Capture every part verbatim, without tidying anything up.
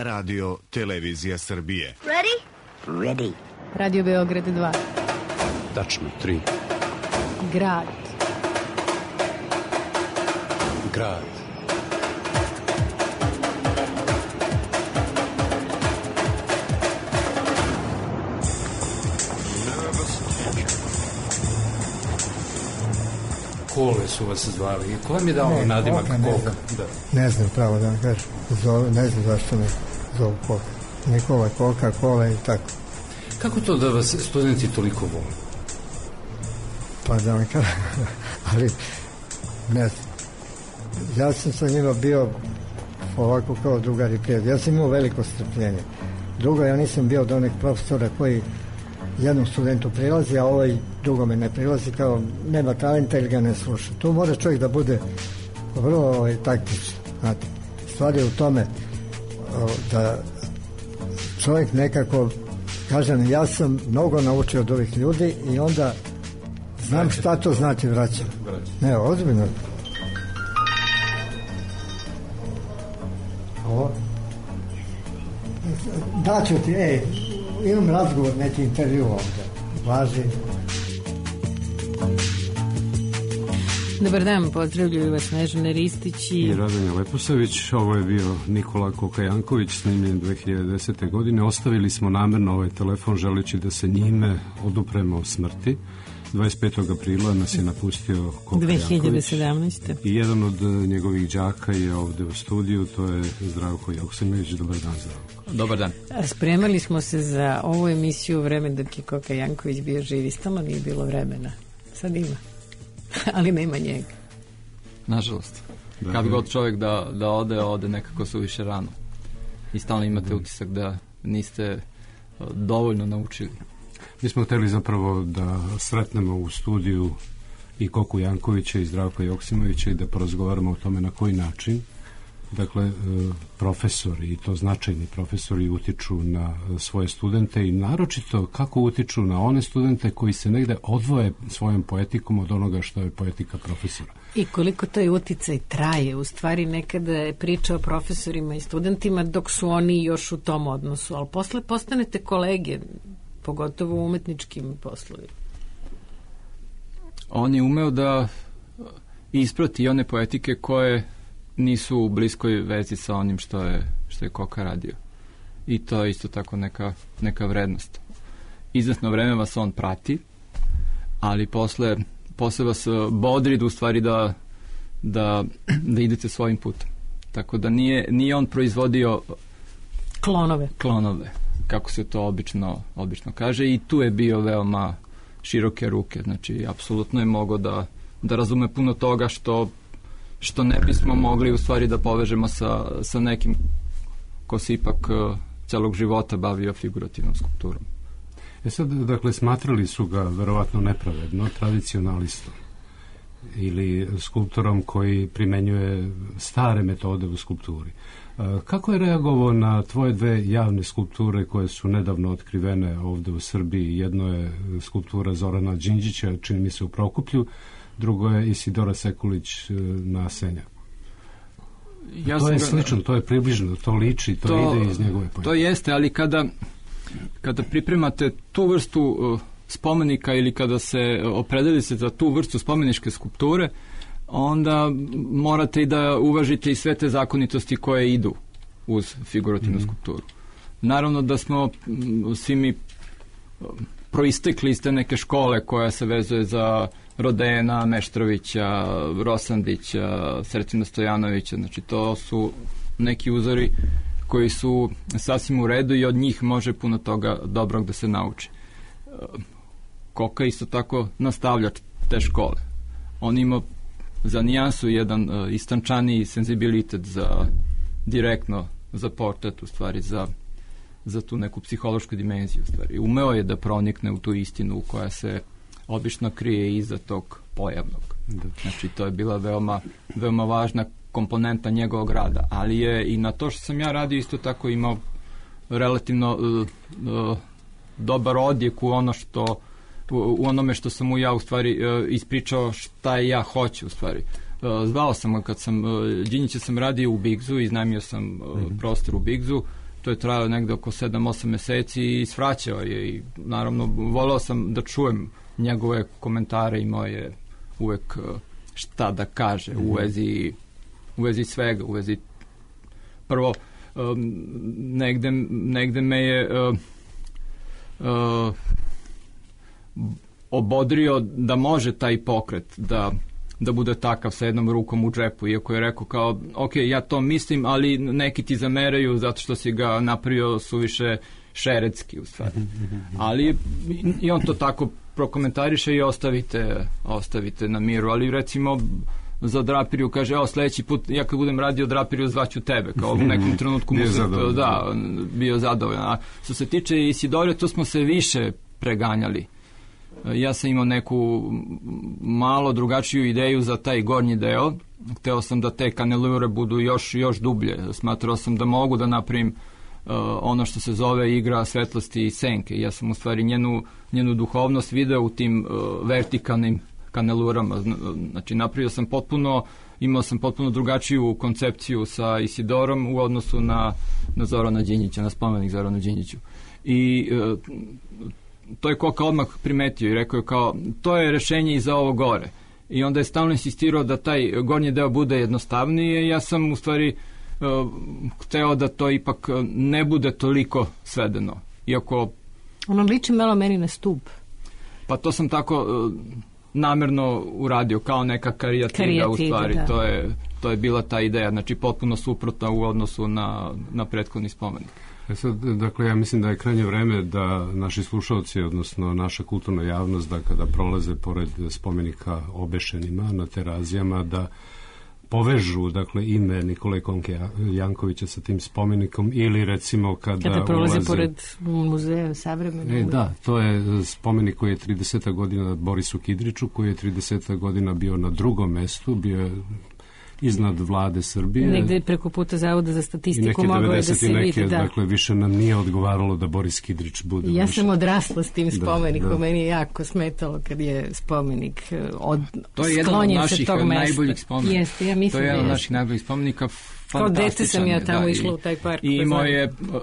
Radio Televizija Srbije. Ready? Ready. Radio Beograd dva. Tačno tri. Grad. Grad. Kole su vas zvali. Ko vam je dao ne, nadimak Koka? Ne znam, da. ne znam pravo da vam kažem. Zove, ne znam zašto me zovu Koka. Nikola, Koka, Kola i tako. Kako to da vas studenti toliko vole? Pa da vam kažem, ali ne znam. Ja sam sa njima bio ovako kao drugar i prijatelj. Ja sam imao veliko strpljenje. Drugo, ja nisam bio od onih profesora koji jednom studentu prilazi, a ovaj drugome ne prilazi, kao nema talenta ili ga ne sluša. Tu mora čovjek da bude vrlo ovaj, taktičan. Znate, stvar je u tome o, da čovjek nekako, kažem, ja sam mnogo naučio od ovih ljudi i onda znam šta to znači vraćam. Ne, ozbiljno. Ovo. Daću ti, ej, imam razgovor, neki intervju ovdje. Važi. Dobar dan, pozdravljaju vas Snežana Ristić i... i Radanja Leposavić. Ovo je bio Nikola Koka-Janković, snimljen dve hiljade desete. godine. Ostavili smo namerno ovaj telefon želeći da se njime odupremo smrti. dvadeset petog aprila nas je napustio Koka dve hiljade sedamnaeste. I jedan od njegovih đaka je ovde u studiju, to je Zdravko Joksimović. Dobar dan, Zdravko. Dobar dan. Spremali smo se za ovu emisiju u vreme dok je Koka-Janković bio živ i stalno nije bilo vremena. Sad ima. Ali nema njega. Nažalost. Da, Kad da. god čovjek da, da ode, ode nekako suviše rano. I stalno imate da. utisak da niste dovoljno naučili. Mi smo hteli zapravo da sretnemo u studiju i Koku Jankovića i Zdravka Joksimovića i da porazgovaramo o tome na koji način, dakle, profesori, i to značajni profesori, utiču na svoje studente i naročito kako utiču na one studente koji se negde odvoje svojom poetikom od onoga što je poetika profesora. I koliko to je uticaj traje. U stvari nekada je priča o profesorima i studentima dok su oni još u tom odnosu, ali posle postanete kolege, pogotovo u umetničkim poslovima. On je umeo da isprati one poetike koje nisu u bliskoj vezi sa onim što je, što je Koka radio. I to je isto tako neka, neka vrednost. Izvesno vreme vas on prati, ali posle, posle vas bodri da u stvari da, da, da idete svojim putem. Tako da nije, nije on proizvodio klonove. klonove, kako se to obično, obično kaže, i tu je bio veoma široke ruke. Znači, apsolutno je mogao da, da razume puno toga što što ne bismo mogli u stvari da povežemo sa, sa nekim ko se ipak uh, celog života bavio figurativnom skulpturom. E sad, dakle, smatrali su ga verovatno nepravedno tradicionalistom ili skulptorom koji primenjuje stare metode u skulpturi. Kako je reagovao na tvoje dve javne skulpture koje su nedavno otkrivene ovde u Srbiji? Jedno je skulptura Zorana Đinđića, čini mi se u Prokuplju, drugo je Isidora Sekulić na Senjaku. Ja to je ga... slično, to je približno, to liči, to, to ide iz njegove poetike. To jeste, ali kada, kada pripremate tu vrstu uh, spomenika ili kada se opredelite za tu vrstu spomeničke skulpture, onda morate i da uvažite i sve te zakonitosti koje idu uz figurativnu mm-hmm. skulpturu. Naravno da smo svi mi proistekli iz te neke škole koja se vezuje za Rodena, Meštrovića, Rosandića, Srećina Stojanovića. Znači, to su neki uzori koji su sasvim u redu i od njih može puno toga dobrog da se nauči. Koka isto tako nastavlja te škole. On ima za nijansu jedan uh, istančaniji senzibilitet za direktno za portret, u stvari za, za tu neku psihološku dimenziju. U stvari. Umeo je da pronikne u tu istinu koja se obično krije iza tog pojavnog. Da. Znači, to je bila veoma, veoma važna komponenta njegovog rada, ali je i na to što sam ja radio isto tako imao relativno uh, uh, dobar odjek u ono što u, u onome što sam mu ja u stvari uh, ispričao šta ja hoću u stvari. Uh, zvao sam ga kad sam uh, Đinjića sam radio u Bigzu, iznajmio sam uh, mm-hmm. prostor u Bigzu to je trajalo negde oko sedam osam meseci i svraćao je i naravno voleo sam da čujem njegove komentare i moje uvek šta da kaže u vezi, u vezi svega, u vezi prvo um, negde, negde me je uh, uh, obodrio da može taj pokret da da bude takav sa jednom rukom u džepu, iako je rekao kao, ok, ja to mislim, ali neki ti zameraju zato što si ga napravio suviše šeretski u stvari. Ali i on to tako prokomentariše i ostavite, ostavite na miru, ali recimo za Drapiriju kaže, evo sledeći put ja kad budem radio Drapiriju zvaću tebe, kao u nekom trenutku mu se, da, bio zadovoljan. A što se tiče Isidore, to smo se više preganjali. Ja sam imao neku malo drugačiju ideju za taj gornji deo. Hteo sam da te kanelure budu još, još dublje. Smatrao sam da mogu da napravim uh, ono što se zove igra svetlosti i senke. Ja sam u stvari njenu, njenu duhovnost video u tim uh, vertikalnim kanelurama. Znači napravio sam potpuno, imao sam potpuno drugačiju koncepciju sa Isidorom u odnosu na, na Zorana Đinđića, na spomenik Zoranu Đinđiću. I uh, to je Koka odmah primetio i rekao je kao, to je rešenje i za ovo gore. I onda je stalno insistirao da taj gornji deo bude jednostavniji. Ja sam u stvari uh, hteo da to ipak ne bude toliko svedeno. Iako... Ono liči malo meni na stup. Pa to sam tako uh, namerno uradio, kao neka karijativa u stvari. Da. To je, to je bila ta ideja, znači potpuno suprotna u odnosu na, na prethodni spomenik. E sad, dakle, ja mislim da je krajnje vreme da naši slušalci, odnosno naša kulturna javnost, da kada prolaze pored spomenika obešenima na Terazijama, da povežu, dakle, ime Nikole Konke Jankovića sa tim spomenikom ili recimo kada, kada prolaze ulaze... pored muzeja savremene. E, da, to je spomenik koji je trideset godina Borisu Kidriču, koji je trideset godina bio na drugom mestu, bio je iznad vlade Srbije. Negde preko puta Zavoda za statistiku mogao je da se neke, vidi. Da. Dakle, više nam nije odgovaralo da Boris Kidrič bude. Ja više. sam odrasla s tim spomenikom. Da, da. Meni je jako smetalo kad je spomenik od, to je jedan od naših najboljih spomenika. Jeste, ja mislim to je jedan od da naših najboljih spomenika. Kao dete sam ja tamo da, išla u taj park. I imao je uh,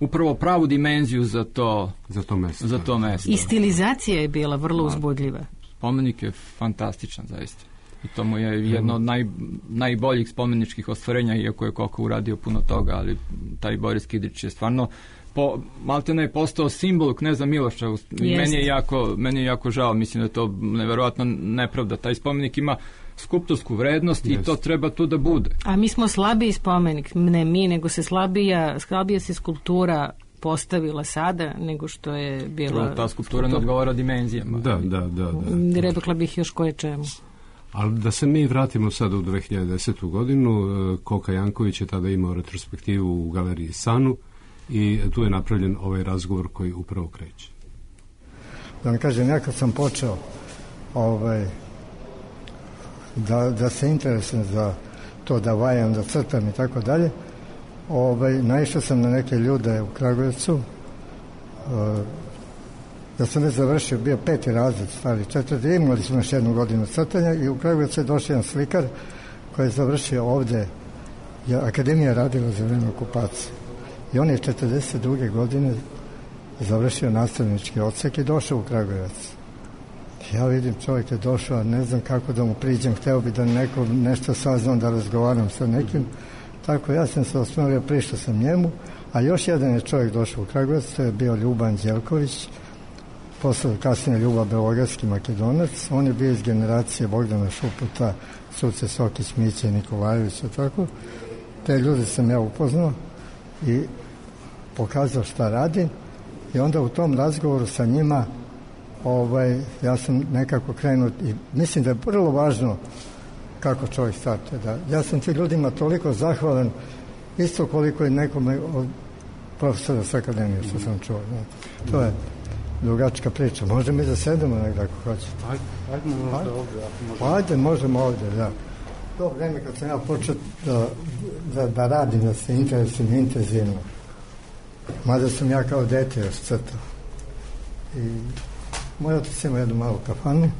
upravo pravu dimenziju za to, za to mesto. Za to mesto. I stilizacija je bila vrlo uzbudljiva. Spomenik je fantastičan, zaista. I to mu je jedno od naj, najboljih spomeničkih ostvarenja, iako je Koka uradio puno toga, ali taj Boris Kidrič je stvarno po, maltene je postao simbol kneza Miloša. I meni je, jako, meni je jako žao, mislim da je to neverovatno nepravda. Taj spomenik ima skulptorsku vrednost Jest. I to treba tu da bude. A mi smo slabiji spomenik, ne mi, nego se slabija, slabija se skulptura postavila sada nego što je bila... Ta skulptura ne odgovara dimenzijama. Da, da, da. da. Rekla bih još koje čemu. Ali da se mi vratimo sad u dve hiljade desetu godinu, Koka Janković je tada imao retrospektivu u galeriji Sanu i tu je napravljen ovaj razgovor koji upravo kreće. Da vam kažem, ja kad sam počeo ovaj, da, da se interesujem za to da vajam, da crtam i tako dalje, ovaj, naišao sam na neke ljude u Kragujevcu. Ja sam ne završio, bio peti razred, stari četvrti, imali smo još jednu godinu crtanja i u Kragujevcu je došao jedan slikar koji je završio ovde, je akademija radila za vreme okupacije. I on je četrdeset druge godine završio nastavnički odsek i došao u Kragujevac. Ja vidim, čovjek je došao, ne znam kako da mu priđem, hteo bi da neko nešto saznam, da razgovaram sa nekim. Tako ja sam se osnovio, prišao sam njemu, a još jedan je čovjek došao u Kragujevac, to je bio Ljuban Đelković, posle kasnije Ljuba Beogradski Makedonac. On je bio iz generacije Bogdana Šuputa, Suce Sokić, Miće, Nikolajevića, tako. Te ljude sam ja upoznao i pokazao šta radim i onda u tom razgovoru sa njima ovaj, ja sam nekako krenuo i mislim da je vrlo važno kako čovjek startuje. Da. Ja sam ti ljudima toliko zahvalan isto koliko i nekome od profesora s akademije što sam čuo. Znate. To je drugačka priča. Možemo i da sedemo nekako ako hoćete. Ajde, ajde možda ovdje. Možemo. Ajde, možemo ovdje, da. To vreme kad sam ja počeo da, da, da radim, da se interesujem intenzivno. Mada sam ja kao dete još crtao. I moj otac ima jednu malu kafanu.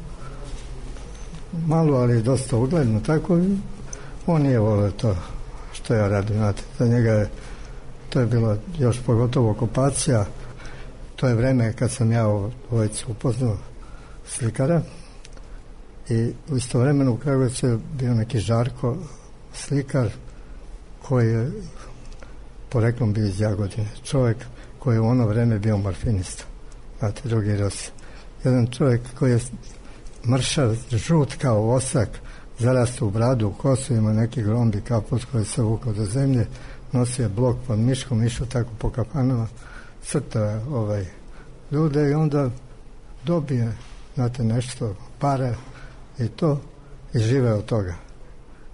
Malu, ali dosta ugledno, tako. On nije volio to što ja radim, znate. Za njega je to je bilo još pogotovo okupacija. To je vreme kad sam ja u dvojici upoznao slikara i u istovremeno u Kragujevcu je bio neki Žarko slikar koji je poreklom bio iz Jagodine. Čovjek koji je u ono vreme bio morfinista. Znate, drugi Rus. Jedan čovjek koji je mršav, žut kao osak, zarastao u bradu, u kosu, ima neki grombi kaput koji se vukao do zemlje, nosio blok pod miškom, išao tako po kafanama, crta ovaj, ljude i onda dobije, znate, nešto, pare i to, i žive od toga.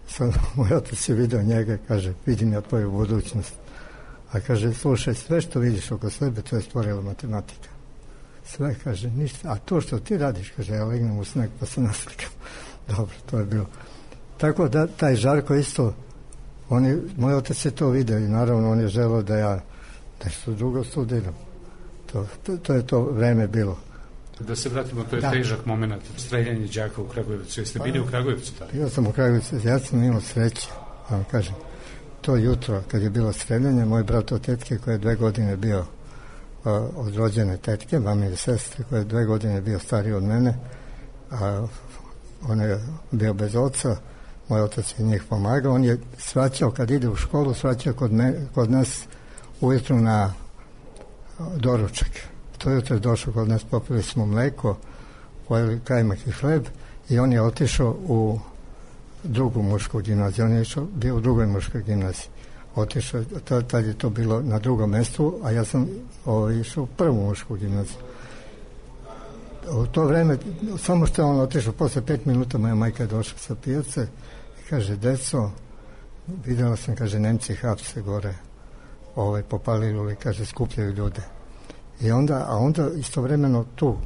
Sad moj otac je vidio njega, kaže, vidim ja tvoju budućnost. A kaže, slušaj, sve što vidiš oko sebe, to je stvorila matematika. Sve, kaže, ništa. A to što ti radiš, kaže, ja legnem u sneg pa se naslikam. Dobro, to je bilo. Tako da, taj Žarko isto, on je, moj otac je to vidio i naravno on je želeo da ja nešto drugo studiram. To, to, to je to vreme bilo. Da se vratimo, to je da. Težak moment, streljanje đaka u Kragujevcu. Jeste bili u Kragujevcu tada? Bio sam u Kragujevcu, ja sam imao sreće, vam kažem. To jutro, kad je bilo streljanje, moj brat od tetke koji je dve godine bio a, od rođene tetke, mame i sestre, koji je dve godine bio stariji od mene, a on je bio bez oca, moj otac je njih pomagao, on je svraćao, kad ide u školu, svraćao kod, me, kod nas ujutru na doručak. To jutro je došao kod nas, popili smo mleko, pojeli kajmak i hleb i on je otišao u drugu mušku gimnaziju. On je išao, bio u drugoj muškoj gimnaziji. Otišao, tad je to bilo na drugom mjestu, a ja sam ovo, išao u prvu mušku gimnaziju. U to vreme, samo što je on otišao, posle pet minuta moja majka je došla sa pijace i kaže, deco, vidjela sam, kaže, Nemci hapse gore, ovaj, popalili, kaže, skupljaju ljude. I onda, a onda istovremeno tu,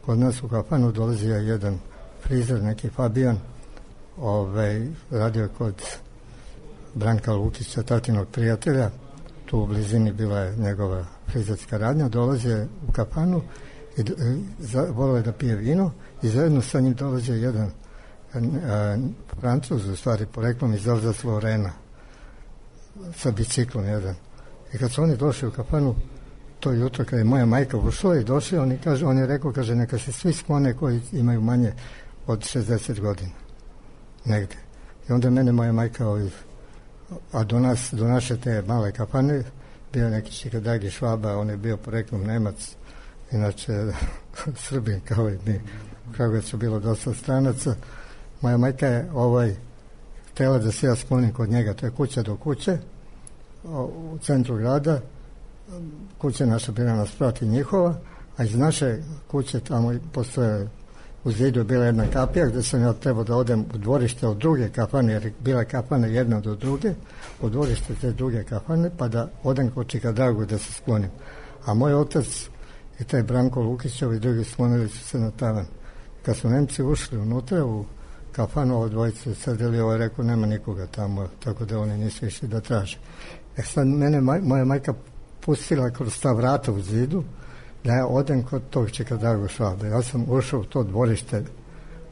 kod nas u kafanu dolazio jedan frizer, neki Fabijan, ovaj, radio kod Branka Lukića, tatinog prijatelja, tu u blizini bila je njegova frizerska radnja, dolazio u kafanu i volio je da pije vino i zajedno sa njim dolazio jedan a, a, Francuz, u stvari poreklom iz Alsace-Lorena, sa biciklom jedan. I kad su oni došli u kafanu, to jutro kad je moja majka ušla i došli, on je, kaže, on je rekao, kaže, neka se svi sklone koji imaju manje od šezdeset godina. Negde. I onda mene moja majka, ovaj, a do nas, do naše te male kafane, bio neki Čikadagi Švaba, on je bio poreklom Nemac, inače Srbin, kao i mi. U Kragujevcu bilo dosta stranaca. Moja majka je ovaj, htjela da se ja sklonim kod njega, to je kuća do kuće, u centru grada, kuća naša bila nas prati njihova, a iz naše kuće tamo postoje, u zidu je bila jedna kapija gdje sam ja trebao da odem u dvorište od druge kafane, jer bila kafana jedna do druge, u dvorište te druge kafane, pa da odem kod Čikadagu da se sklonim. A moj otac i taj Branko Lukićov i drugi sklonili su se na tavan. Kad su Nemci ušli unutra u kafanu, ovo dvojice sedeli, ovo je rekao, nema nikoga tamo, tako da oni nisu išli da traže. E sad mene, maj, moja majka pustila kroz ta vrata u zidu, da ja odem kod tog Čikadagu Švabe. Ja sam ušao u to dvorište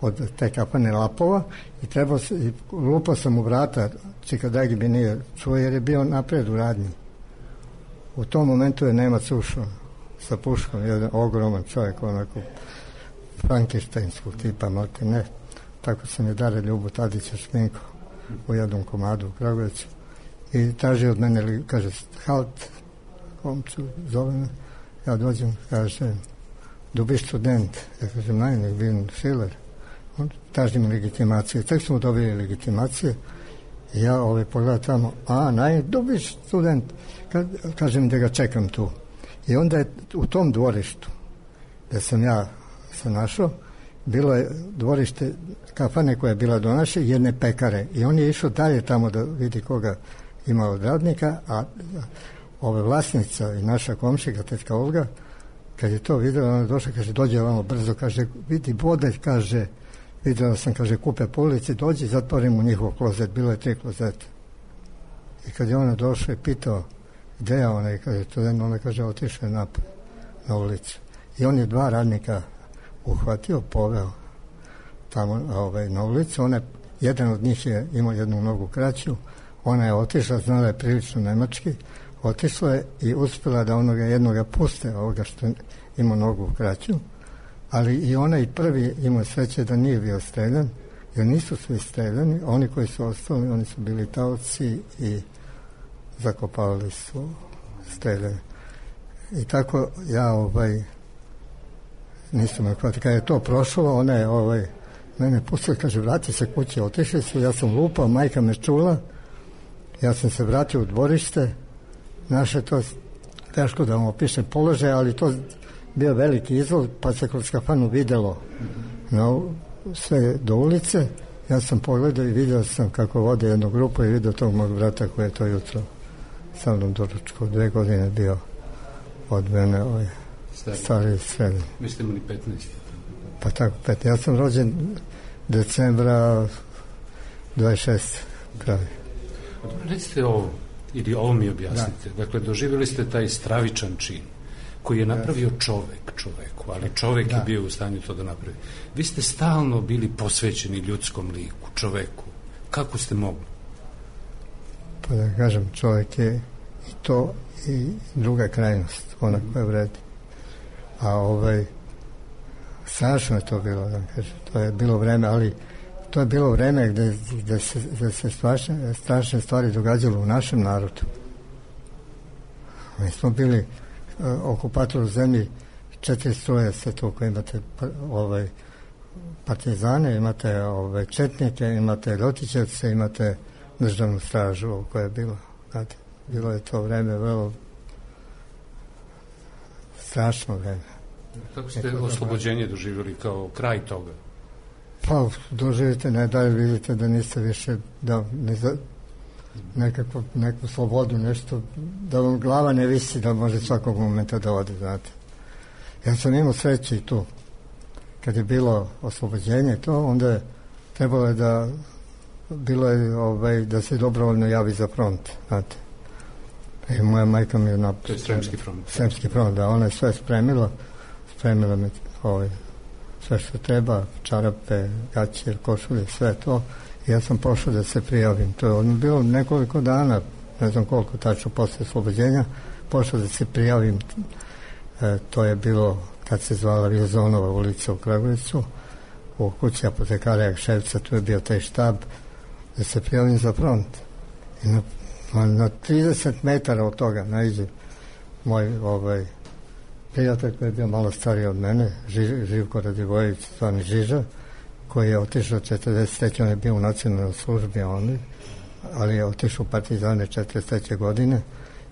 od te kafane Lapova i trebao se, i lupao sam u vrata, Čikadagi bi nije čuo jer je bio napred u radnji. U tom momentu je Nemac ušao sa puškom, jedan ogroman čovjek, onako frankensteinskog tipa, malte ne. Tako sam je Dare Ljubu Tadića šminko u jednom komadu u Kragujevcu. I traži od mene, kaže, halt, komcu, zove me. Ja dođem, kaže, du bist student. Ja kažem, nein, ich bin Schiller. On traži mi legitimaciju. Tek smo dobili legitimacije. I ja ovaj pogledam tamo, a, nein, du bist student. Ka, kažem da ga čekam tu. I onda je u tom dvorištu, gdje sam ja se našao, bilo je dvorište kafane koja je bila do naše, jedne pekare. I on je išao dalje tamo da vidi koga ima od radnika, a ove vlasnica i naša komšika, tetka Olga, kad je to vidjela, ona je došla, kaže, dođe ovamo brzo, kaže, vidi bode, kaže, vidjela sam, kaže, kupe po ulici, dođi, zatvorim u njihov klozet, bilo je tri klozeta. I kad je ona došla i pitao, gde je ona, i kaže, to jedno, ona kaže, otišao je napad na ulicu. I on je dva radnika uhvatio, poveo tamo ovaj, na ulicu, ona, jedan od njih je imao jednu nogu kraću, ona je otišla, znala je prilično nemački, otišla je i uspjela da onoga jednoga puste, ovoga što ima nogu kraću, ali i onaj prvi imao sreće da nije bio streljan, jer nisu svi streljani, oni koji su ostali, oni su bili taoci i zakopavali su streljane. I tako ja ovaj nisam me hvatio. Kad je to prošlo, ona je ovaj, mene pustila, kaže, vrati se kući, otišli su, ja sam lupao, majka me čula, ja sam se vratio u dvorište, naše to, teško da vam opišem položaj, ali to bio veliki izlog, pa se kroz kafanu videlo no, sve do ulice. Ja sam pogledao i vidio sam kako vode jednu grupu i vidio tog mog brata koji je to jutro sa mnom doručko, dve godine bio od mene ovaj, stari srednji. Vi ste imali petnaest? Pa tako, petnaest. Ja sam rođen decembra dvadeset šeste kraj. Recite ovo, ili ovo mi objasnite. Da. Dakle, doživjeli ste taj stravičan čin koji je napravio čovek čoveku, ali čovek da. je bio u stanju to da napravi. Vi ste stalno bili posvećeni ljudskom liku, čoveku. Kako ste mogli? Pa da kažem, čovek je i to i druga krajnost, ona mm-hmm. koja vredi. A ovaj, strašno je to bilo, da kažem, to je bilo vreme, ali to je bilo vreme gde, gde se, gde se strašne, strašne stvari događalo u našem narodu. Mi smo bili uh, okupator u zemlji, četiri struje se to koje imate ovaj, partizane, imate ovaj, četnike, imate ljotićevce, imate državnu stražu koja je bila. Znate, bilo je to vreme vrlo strašno vreme. Kako ste oslobođenje doživjeli kao kraj toga? Pa doživite, ne dalje vidite da niste više da ne za, nekakvu, neku slobodu, nešto, da vam glava ne visi da može svakog momenta da ode, znate. Ja sam imao sreće i tu. Kad je bilo oslobođenje to, onda je trebalo je da bilo je ovaj, da se dobrovoljno javi za front, znate. I moja majka mi je na... To je Sremski front. Sremski front, da, ona je sve spremila, spremila mi ovaj, sve što treba, čarape, gaće, košulje, sve to. I ja sam pošao da se prijavim. To je ono bilo nekoliko dana, ne znam koliko tačno posle oslobođenja, pošao da se prijavim. E, to je bilo kad se zvala Vizonova ulica u Kragujevcu, u kući apotekara Jakševca, tu je bio taj štab, da se prijavim za front. I na, na, na trideset metara od toga naiđe moj ovaj, prijatelj koji je bio malo stariji od mene, Ži, Živko Radivojević, zvani Žiža, koji je otišao četrdeset treće. On je bio u nacionalnoj službi, on, ali je otišao u partizane četrdeset treće godine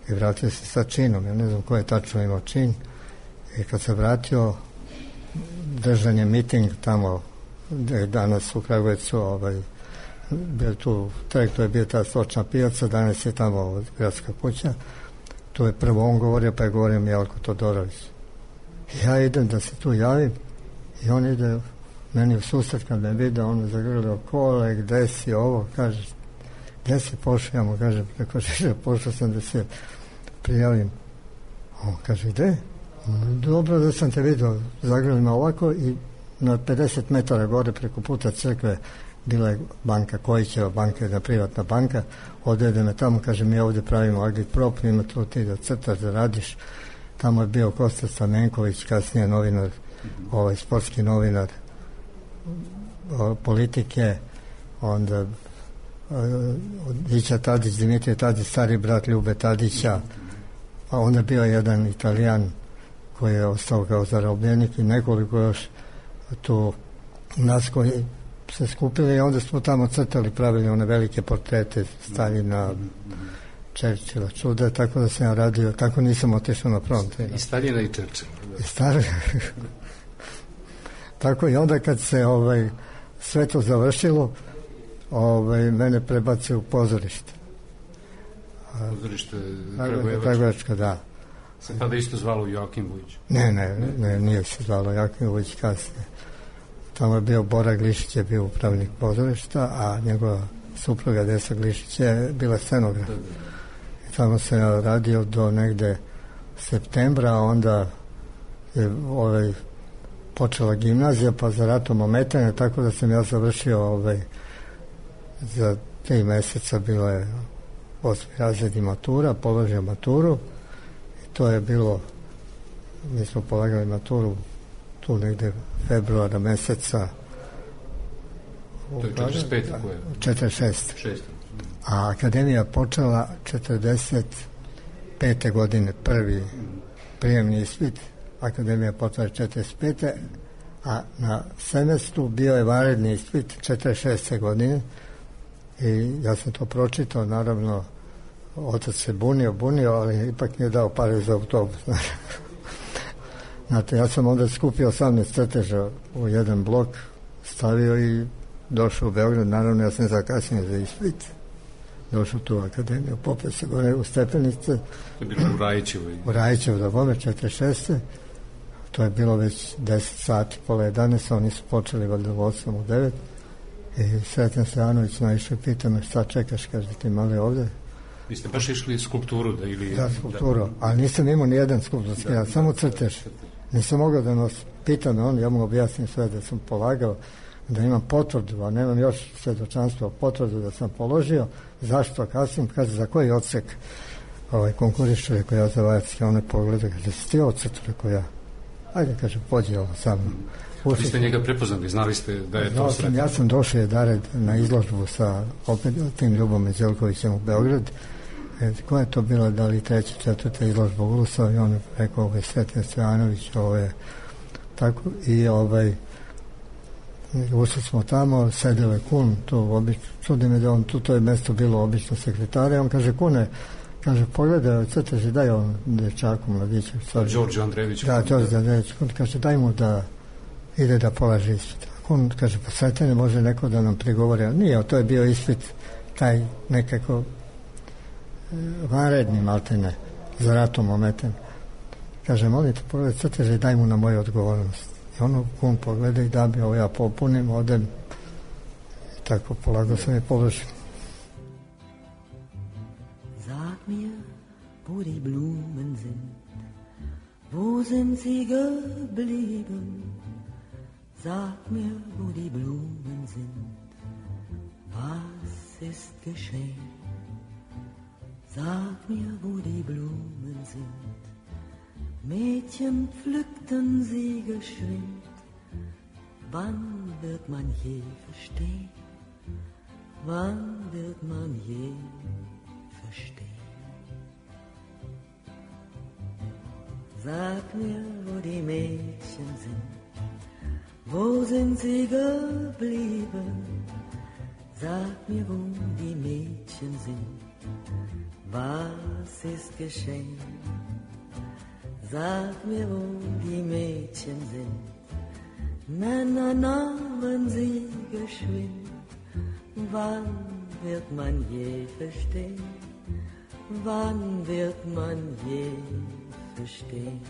i vratio se sa činom. Ja ne znam ko je tačno imao čin. I kad se vratio, držan je miting tamo gde danas u Kragujevcu, ovaj, bio tu trek, to je bio ta stočna pijaca, danas je tamo gradska kuća. Tu je prvo on govorio, pa je govorio Jelko Todorović. Ja idem da se tu javim i on ide meni u susret, kad me vide, on me zagrlio, kole, gde si ovo, kaže, gde si pošao, ja mu kažem, preko Žiža, pošao sam da se prijavim. On kaže, gde? Dobro da sam te vidio, zagrlio me ovako i na pedeset metara gore preko puta crkve bila je banka, Kojićeva banka, jedna privatna banka, odvede me tamo, kaže, mi ovdje pravimo agitprop, ima tu ti da crtaš, da radiš. Tamo je bio Kosta Stamenković, kasnije novinar, ovaj sportski novinar o, politike, onda Dića Tadić, Dimitrije Tadić, stari brat Ljube Tadića, a onda bio jedan Italijan koji je ostao kao zarobljenik i nekoliko još tu nas koji se skupili i onda smo tamo crtali, pravili one velike portrete Staljina, Čerčila, čuda, tako da sam ja radio, tako nisam otišao na front. I Staljina i Čerčila. I stari. Tako i onda kad se ovaj, sve to završilo, ovaj, mene prebacio u pozorište. Pozorište Kragujevačko, da. Se tada isto zvalo Joakim Vujić? Ne, ne, ne, nije se zvalo Joakim Vujić kasnije. Tamo je bio Bora Glišić, je bio upravnik pozorišta, a njegova supruga Desa Glišić je bila scenograf. Da, da. I tamo sam ja radio do negde septembra, a onda je ovaj, počela gimnazija, pa za ratom ometanja, tako da sam ja završio ovaj, za tri meseca bilo je osmi razred i matura, položio maturu i to je bilo, mi smo polagali maturu tu negde februara meseca. To je četrdeset pete koje? četrdeset šeste. A akademija počela četrdeset pete godine, prvi prijemni ispit. Akademija počela četrdeset pete a na semestru bio je vanredni ispit četrdeset šeste godine i ja sam to pročitao, naravno otac se bunio, bunio, ali ipak nije dao pare za autobus. Znate, ja sam onda skupio osamnaest crteža u jedan blok, stavio i došao u Beograd, naravno ja sam zakasnio za ispit, došao tu u akademiju, popeo se gore u stepenice. To je bilo u Rajićevu. U Rajićevu, da bome, četrdeset šeste To je bilo već deset sati, pola jedanaest, oni su počeli valjda u osam, u devet i Sreten Stojanović naišao i pita me šta čekaš, kaže ti mali ovde. Vi ste baš išli skulpturu da ili... Da, skulpturu, da, ali nisam imao ni jedan skulpturski, ja samo crtež. Nisam mogao da nos pita me on, ja mu objasnim sve da sam polagao, da imam potvrdu, a nemam još svedočanstvo, potvrdu da sam položio. Zašto kasnim? Kaže, za koji odsek ovaj, konkurišu, rekao ja za Vajatski, on ne pogleda, kaže, si ti odsek, rekao ja. Ajde, kaže, pođi ovo sa mnom. Vi ste njega prepoznali, znali ste da je to Sreten? Ja sam došao jedared na izložbu sa opet tim Ljubom Međelkovićem u Beograd. E, koja je to bila, da li treća, četvrta izložba u Ulusov i on je rekao, ovo je Sreten Stojanović, ovo je tako, i ovaj ušli smo tamo, sedeo je Kun, tu obično, čudi me da on, tu to je mesto bilo obično sekretare, on kaže, Kune, kaže, pogledaj, crteži, daj on dečaku, mladiću. Đorđe Andrejević. Da, Đorđe Andrejević, Kun kaže, daj mu da ide da polaže ispit. Kun kaže, pa Sretene, može neko da nam prigovori, ali nije, to je bio ispit, taj nekako vanredni maltene, za ratom ometen. Kaže, molim te, pogledaj, crteži, daj mu na moju odgovornost. I ono, Kun pogleda i da bi ovo ja popunim, odem i tako polago sam je položio. Sag mir, wo die Blumen sind, wo sind sie geblieben? Sag mir, wo die Blumen sind, was ist geschehen? Sag mir, wo die Blumen sind, Mädchen pflückten sie geschwind. Wann wird man je verstehen? Wann wird man je verstehen? Sag mir, wo die Mädchen sind, wo sind sie geblieben? Sag mir, wo die Mädchen sind, was ist geschehen? Sag mir, wo die Mädchen sind, Männer nahmen sie geschwind. Wann wird man je verstehen? Wann wird man je verstehen?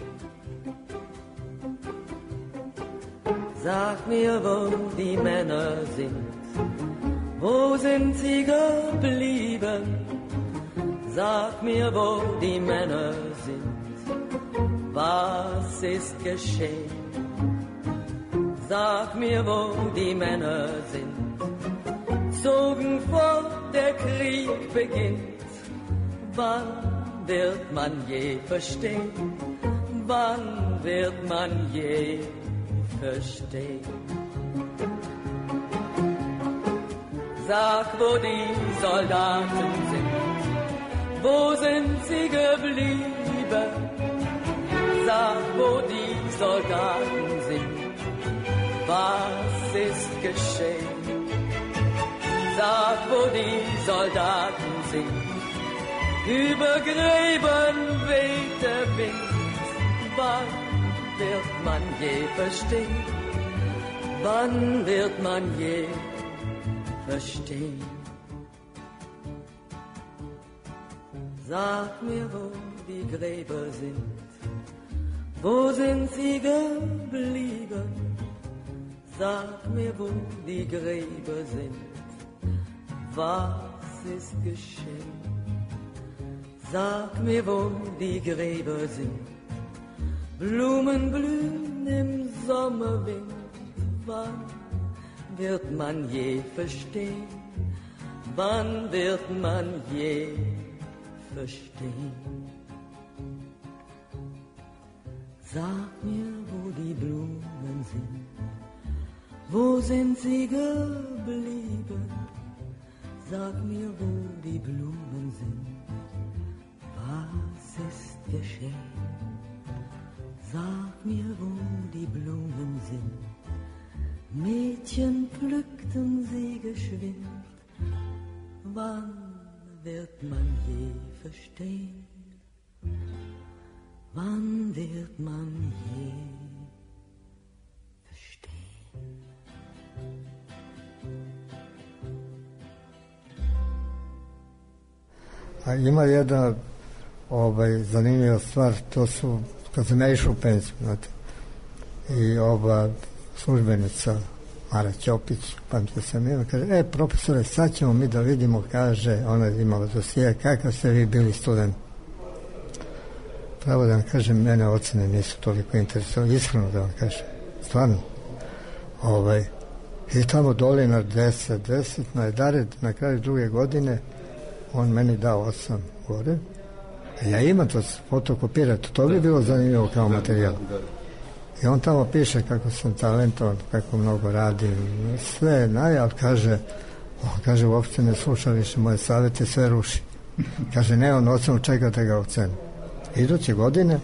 Sag mir, wo die Männer sind, wo sind sie geblieben? Sag mir, wo die Männer sind, was ist geschehen? Sag mir, wo die Männer sind, zogen fort, der Krieg beginnt. Wann wird man je verstehen? Wann wird man je verstehen? Sag, wo die Soldaten sind, wo sind sie geblieben? Sag, wo die Soldaten sind, was ist geschehen? Sag, wo die Soldaten sind, über Gräben weht der Wind. Wann wird man je verstehen? Wann wird man je verstehen? Sag mir, wo die Gräber sind, wo sind sie geblieben? Sag mir, wo die Gräber sind, was ist geschehen? Sag mir, wo die Gräber sind, Blumen blühen im Sommerwind. Wann wird man je verstehen? wann wird man je verstehen? Sag mir, wo die Blumen sind, wo sind sie geblieben? Sag mir, wo die Blumen sind, was ist geschehen? Sag mir, wo die Blumen sind, Mädchen pflückten sie geschwind. Wann wird man je verstehen? Wann wird man je verstehen? A ima jedna ovaj, zanimljiva stvar, to su, kad sam ja išao u penziju, znate, i ova službenica Mara Ćopić, pamtio sam ima, kaže, e, profesore, sad ćemo mi da vidimo, kaže, ona je imala dosije, kakav ste vi bili student. Pravo da vam kažem, mene ocene nisu toliko interesovali, iskreno da vam kažem, stvarno. Ovaj, i tamo dole na deset, deset, na Dared, na kraju druge godine, on meni dao osam gore, a ja imam to fotokopirati, to bi bilo zanimljivo kao materijal. I on tamo piše kako sam talentovan, kako mnogo radim, sve naj, ali kaže, on kaže, uopšte ne sluša više moje savjete, sve ruši. Kaže, ne, on ocenu čeka da ga ocenu. Iduće godine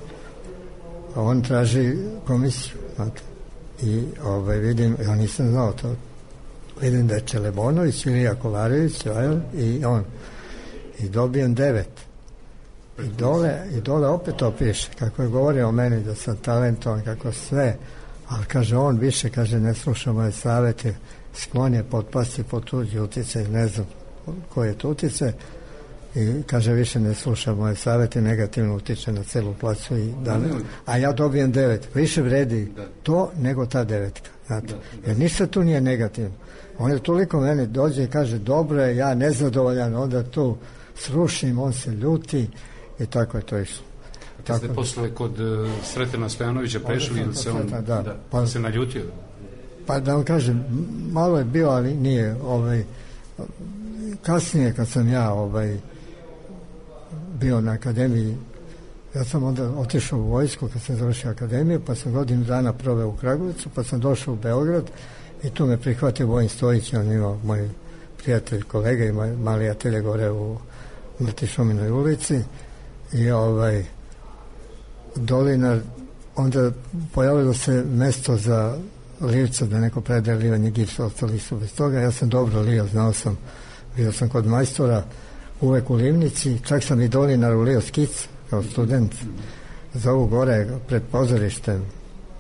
on traži komisiju, znate, i ovaj, vidim, ja nisam znao to, vidim da je Čelebonović, Ilija Kolarević, i on, i dobijem devet. I dole, i dole opet to piše, kako je govorio o meni da sam talentovan, kako sve, ali kaže on više, kaže, ne sluša moje savjete, sklon je potpasti pod tuđi utjecaj, ne znam koji je to utjecaj, i kaže više ne sluša moje savjete, negativno utiče na celu placu, i da, a ja dobijem devet. Više vredi to nego ta devetka, znate, jer ništa tu nije negativno. On je toliko meni dođe i kaže, dobro je, ja nezadovoljan, onda tu srušim, on se ljuti, i tako je to išlo. Kad ste posle kod uh, Sretena Stojanovića prešli, ili se on da, da, pa, se naljutio? Pa da vam kažem, malo je bio, ali nije. Ovaj, kasnije kad sam ja ovaj, bio na akademiji, ja sam onda otišao u vojsku kad sam završio akademiju, pa sam godinu dana proveo u Kragujevcu, pa sam došao u Beograd i tu me prihvatio Vojin Stojić, on imao moj prijatelj, kolega, ima mali atelje gore u Mrtišominoj ulici. I ovaj Dolinar, onda pojavilo se mesto za livca, da neko predaje livanje gipsa, ostali su bez toga. Ja sam dobro lio, znao sam, bio sam kod majstora uvek u livnici, čak sam i Dolinaru lio skic kao student za ovu gore pred pozorištem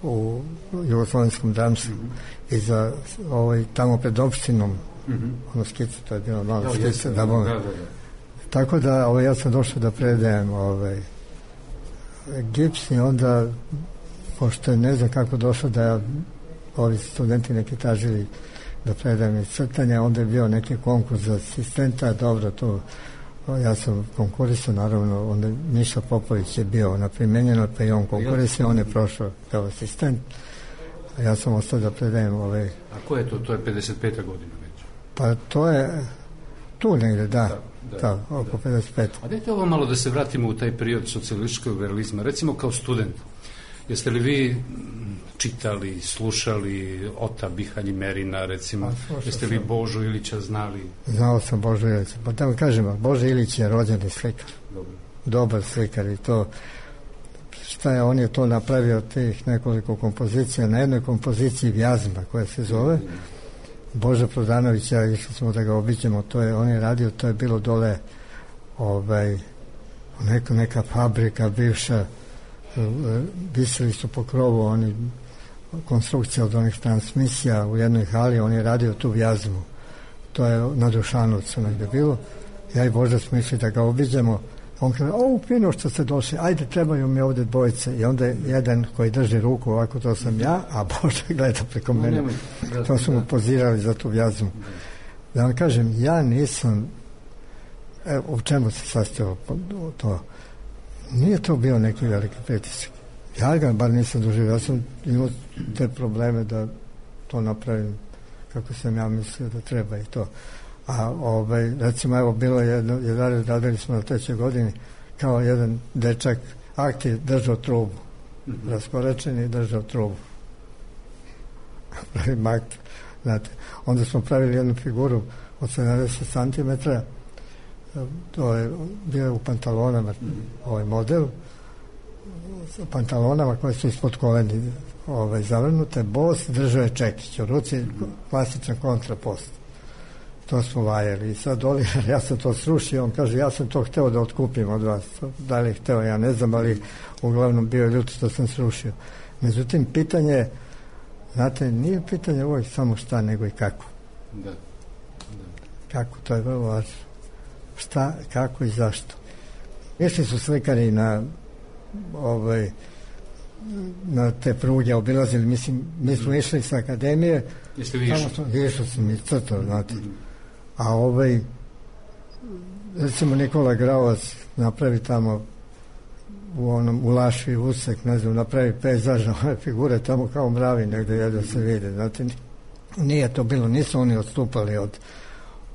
u Jugoslovenskom dramstvu i za ovaj, tamo pred opštinom ono skicu, to je bilo malo skica, da bome. Tako da ovaj, ja sam došao da predajem ovaj, gips i onda, pošto ne znam kako došao da ja, ovi studenti neki tražili da predajem iz crtanja, onda je bio neki konkurs za asistenta, dobro, to ja sam konkurisao, naravno, onda Miša Popović je bio na primenjeno, pa i on konkurisao, on je prošao kao asistent, a ja sam ostao da predajem ovaj... A ko je to? To je pedeset peta godina već? Pa to je tu negde, da. da. Da, da, oko pedeset pet. A dajte ovo malo da se vratimo u taj period socijalističkog realizma. Recimo kao student, jeste li vi čitali, slušali Ota Bihanjimerina, recimo, jeste li Božu Ilića znali? Znao sam Božu Ilića. Pa da vam kažem, Božo Ilić je rođeni slikar. Dobar. Dobar slikar i to, šta je, on je to napravio, tih nekoliko kompozicija, na jednoj kompoziciji Vjazma koja se zove Boža Prodanovića, išli smo da ga obiđemo, to je, on je radio, to je bilo dole ovaj, neka, neka fabrika bivša, visili su po krovu oni konstrukcija od onih transmisija u jednoj hali, on je radio tu Vjazmu, to je na Dušanovcu negde bilo. Ja i Boža smo išli da ga obiđemo, on kaže, o, fino što ste došli, ajde, trebaju mi ovdje dvojice, i onda jedan koji drži ruku ovako, to sam ja, a Boža gleda preko mene, to su mu pozirali za tu Vjazmu. Da vam kažem, ja nisam, evo, u čemu se sastojao to, nije to bio neki veliki pritisak, ja ga bar nisam doživio, ja sam imao te probleme da to napravim kako sam ja mislio da treba i to, A ovaj, recimo, evo, bilo je jedno, jedan, radili smo na trećoj godini, kao jedan dečak, aktiv, držao trubu. Mm-hmm. Raskorečeni, držao trubu. Pravi mak, znate. Onda smo pravili jednu figuru od sedamdeset centimetara, to je bio u pantalonama, mm-hmm. ovaj model, sa pantalonama koje su ispod koleni ovaj, zavrnute, bos, držao je čekić u ruci, mm-hmm. klasičan kontrapost. To smo vajali. I sad Oliver, ja sam to srušio, on kaže, ja sam to hteo da otkupim od vas. Da li je hteo, ja ne znam, ali uglavnom bio ljut što sam srušio. Međutim, pitanje, znate, nije pitanje uvijek samo šta, nego i kako. Da. Da. Kako, to je vrlo važno. Šta, kako i zašto. Išli su slikari na ovaj, na te pruge, obilazili, mislim, mi smo išli sa akademije. Jeste vi išli? Išli sam i crtao, znate. A ovaj, recimo Nikola Graovac napravi tamo u onom, u Lašvi usek, ne znam, napravi pejzažne ove figure tamo kao mravi negde jedno se vide, znate. Nije to bilo, nisu oni odstupali od,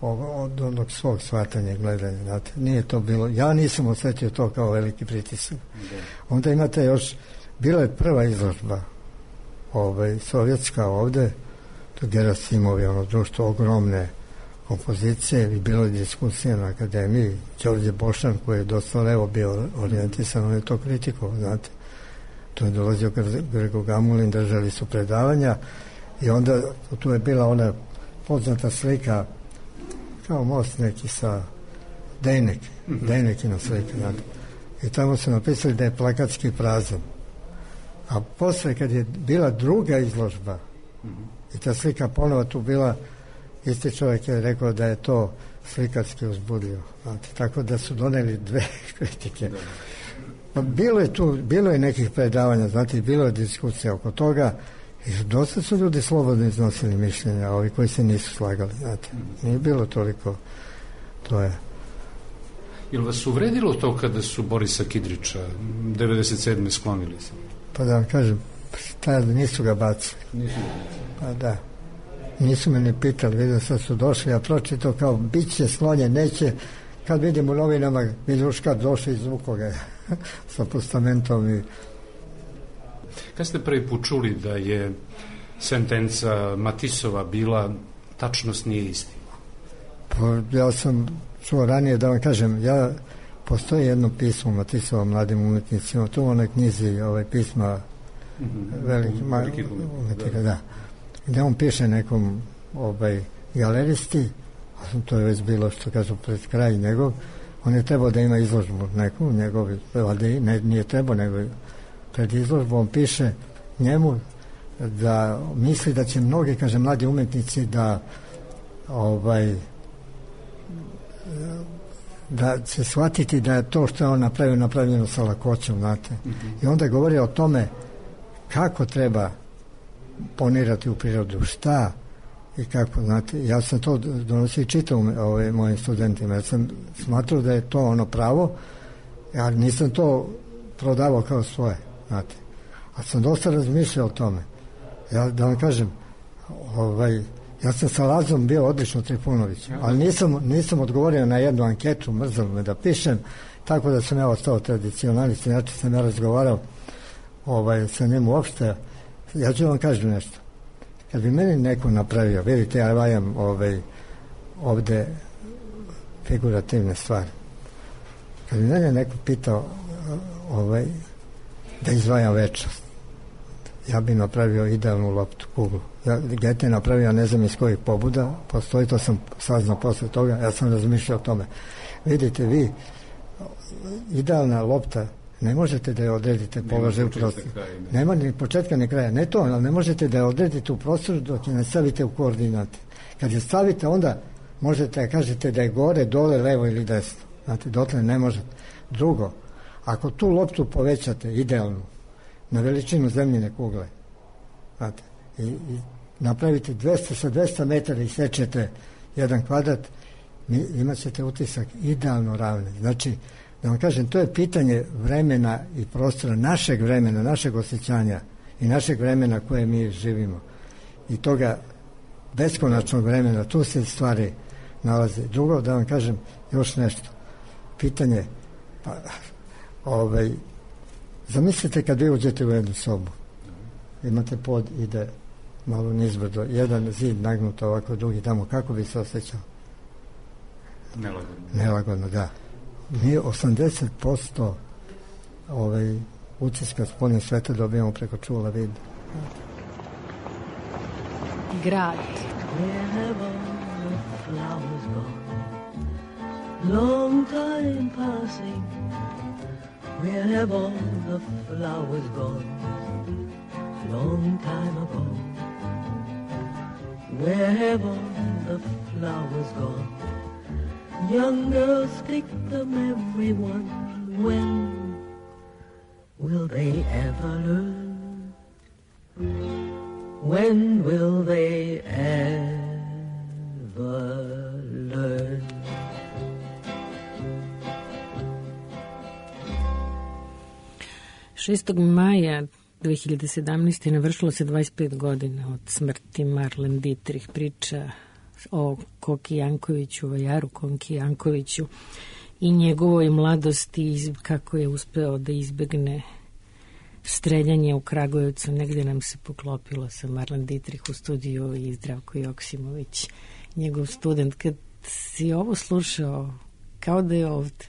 od, od onog svog shvatanja gledanja, znate. Nije to bilo, ja nisam osjetio to kao veliki pritisak. Onda imate još, bila je prva izložba ovaj, sovjetska ovde, to Gerasimovi, ono društvo, ogromne kompozicije i bilo je diskusija na akademiji. Đorđe Bošan, koji je dosta levo bio orijentisan, on je to kritikovao, znate. To je dolazio Grgo Gamulin, držali su predavanja i onda tu je bila ona poznata slika kao most neki sa Dejnek, mm-hmm. Dejnekina slika, znate. I tamo su napisali da je plakatski prazan. A posle, kad je bila druga izložba, mm-hmm. i ta slika ponovo tu bila, isti čovjek je rekao da je to slikarski uzbudio. Znate, tako da su doneli dve kritike. Pa bilo je tu, bilo je nekih predavanja, znate, bilo je diskusija oko toga i dosta su ljudi slobodno iznosili mišljenja, ovi koji se nisu slagali, znate. Nije bilo toliko, to je. Jel vas uvredilo to kada su Borisa Kidrića devedeset sedme sklonili se? Pa da vam kažem, tada nisu ga bacili. Nisu ga bacili. Pa da. Nisu me ni pitali, vidio sad su došli, ja pročitao kao bit će sklonjen, neće, kad vidim u novinama, Miljuška došli iz Vukoga sa postamentom i... Kad ste prvi put čuli da je sentenca Matisova bila tačnost nije istina? Pa ja sam čuo ranije, da vam kažem, ja, postoji jedno pismo Matisova mladim umetnicima, tu u onoj knjizi ovaj, pisma mm-hmm. veliki, ma, umetnika, da. da. Gde on piše nekom ovaj, galeristi, a to je već bilo što kažu pred kraj njegov, on je trebao da ima izložbu neku, njegovi, ne, nije trebao, nego pred izložbu on piše njemu da misli da će mnogi, kaže, mladi umetnici da ovaj da će shvatiti da je to što je on napravio napravljeno sa lakoćom, znate. Mm-hmm. I onda govori o tome kako treba ponirati u prirodu, šta i kako, znate. Ja sam to donosio i čitao ove, mojim studentima, ja sam smatrao da je to ono pravo, ja nisam to prodavao kao svoje, znate. A sam dosta razmišljao o tome. Ja da vam kažem, ovaj, ja sam sa Lazom bio odlično Trifunović, ali nisam, nisam odgovorio na jednu anketu, mrzalo me da pišem, tako da sam ja ostao tradicionalist, inače sam ja razgovarao ovaj, sa njemu uopšte. Ja ću vam kažem nešto. Kad bi meni neko napravio, vidite, ja vajam ovaj, ovde figurativne stvari. Kad bi mene neko pitao ovaj, da izvajam večnost, ja bi napravio idealnu loptu, kuglu. Ja, Gete je napravio, ne znam iz kojih pobuda, postoji, to sam saznao posle toga, ja sam razmišljao o tome. Vidite, vi, idealna lopta, ne možete da je odredite položaj u prostoru. Nema ni početka ni kraja. Ne to, ali ne možete da je odredite u prostoru dok je ne stavite u koordinate. Kad je stavite, onda možete da kažete da je gore, dole, levo ili desno. Znate, dotle ne možete. Drugo, ako tu loptu povećate idealnu na veličinu zemljine kugle, znate, i, i napravite dvesta sa dvesta metara i sečete jedan kvadrat, imat ćete utisak idealno ravne. Znači, da vam kažem, to je pitanje vremena i prostora, našeg vremena, našeg osjećanja i našeg vremena koje mi živimo. I toga beskonačnog vremena, tu se stvari nalazi. Drugo, da vam kažem još nešto. Pitanje, pa, ovaj, zamislite kad vi uđete u jednu sobu, imate pod, ide malo nizbrdo, jedan zid nagnut ovako, drugi tamo, kako bi se osjećao? Nelagodno. Nelagodno, da. Mi osamdeset posto ovaj, utiska spoljnog sveta dobijamo preko čula vida. Grad. Long time passing, where have all the flowers gone? Long time ago, where have all the flowers gone? Young girls pick them, everyone. When will they ever learn? When will they ever learn? šestog maja dve hiljade sedamnaeste. navršilo se dvadeset pet godina od smrti Marlene Dietrich. Priča o Koki Jankoviću, Vajaru Konki Jankoviću i njegovoj mladosti, kako je uspeo da izbegne streljanje u Kragujevcu. Negdje nam se poklopilo sa Marlene Dietrich u studiju i Zdravko Joksimović, njegov student. Kad si ovo slušao, kao da je ovdje,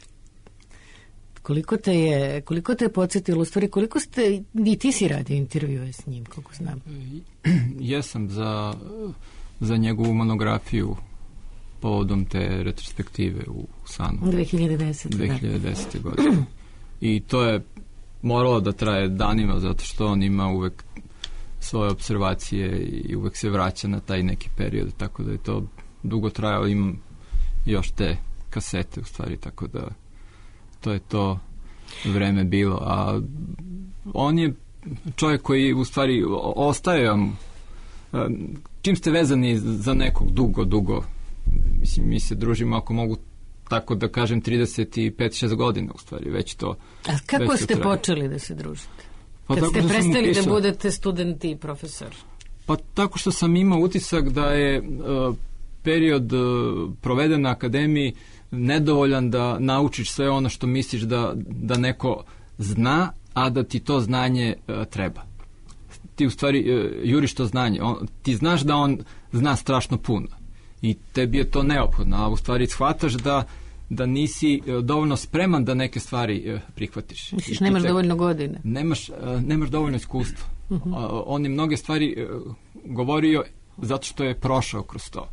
koliko te je, koliko te je podsjetilo, u stvari, koliko ste, i ti si radio intervjue s njim, koliko znam? Jesam za, za njegovu monografiju povodom te retrospektive u Sanu. dve hiljade desete. dve hiljade desete. godine. I to je moralo da traje danima, zato što on ima uvek svoje observacije i uvek se vraća na taj neki period, tako da je to dugo trajalo. Imam još te kasete, u stvari, tako da to je to vreme bilo. A on je čovjek koji, u stvari, ostaje vam, čim ste vezani za nekog dugo, dugo, mislim, mi se družimo, ako mogu tako da kažem, trideset pet šest godina, u stvari, već to. A kako ste traje. počeli da se družite? Pa kad ste prestali pisao, da budete student i profesor? Pa tako što sam imao utisak da je uh, period uh, proveden na akademiji nedovoljan da naučiš sve ono što misliš da, da neko zna, a da ti to znanje uh, treba. Ti u stvari uh, juriš to znanje. On, ti znaš da on zna strašno puno i tebi je to neophodno, a u stvari shvataš da da nisi uh, dovoljno spreman da neke stvari uh, prihvatiš. Misliš, nemaš tek, dovoljno godine? Nemaš, uh, nemaš dovoljno iskustva. Uh-huh. Uh, on je mnoge stvari uh, govorio zato što je prošao kroz to.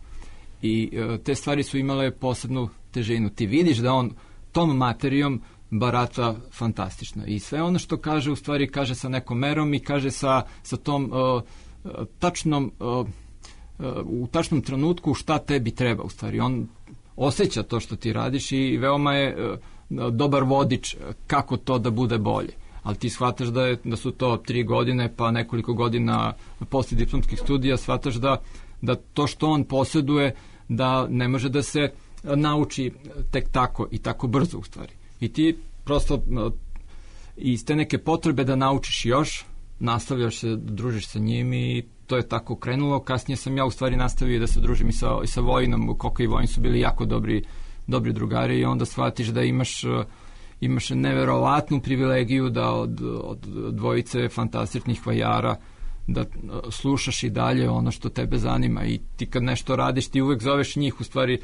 I uh, te stvari su imale posebnu težinu. Ti vidiš da on tom materijom barata fantastično. I sve ono što kaže, u stvari kaže sa nekom merom i kaže sa, sa tom uh, tačnom uh, u tačnom trenutku šta tebi treba, u stvari. On osjeća to što ti radiš i veoma je uh, dobar vodič kako to da bude bolje. Ali ti shvataš da, je, da su to tri godine pa nekoliko godina posle diplomskih studija, shvataš da, da to što on posjeduje da ne može da se nauči tek tako i tako brzo, u stvari. I ti prosto uh, iz te neke potrebe da naučiš još, nastavljaš se, družiš sa njim i to je tako krenulo. Kasnije sam ja u stvari nastavio da se družim i sa, i sa Vojinom. Koka i Vojin su bili jako dobri, dobri drugari i onda shvatiš da imaš, imaš neverovatnu privilegiju da od, od dvojice fantastičnih vajara da slušaš i dalje ono što tebe zanima i ti kad nešto radiš ti uvek zoveš njih, u stvari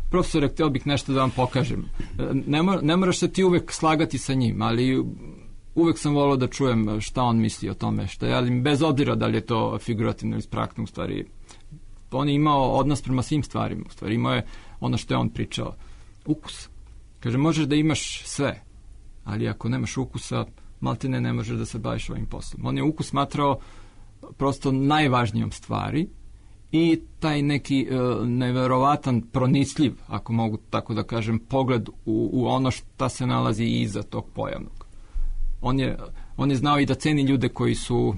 profesore, htio bih nešto da vam pokažem. Ne, mora, ne moraš se ti uvek slagati sa njim, ali uvek sam volao da čujem šta on misli o tome, šta je, ali bez obzira da li je to figurativno ili spraktno, u stvari. On je imao odnos prema svim stvarima, u stvari. Imao je ono što je on pričao. Ukus. Kaže, možeš da imaš sve, ali ako nemaš ukusa, maltene ne možeš da se baviš ovim poslom. On je ukus smatrao prosto najvažnijom stvari i taj neki uh, neverovatan, pronicljiv, ako mogu tako da kažem, pogled u, u ono šta se nalazi iza tog pojavnog. On je, on je znao i da ceni ljude koji su,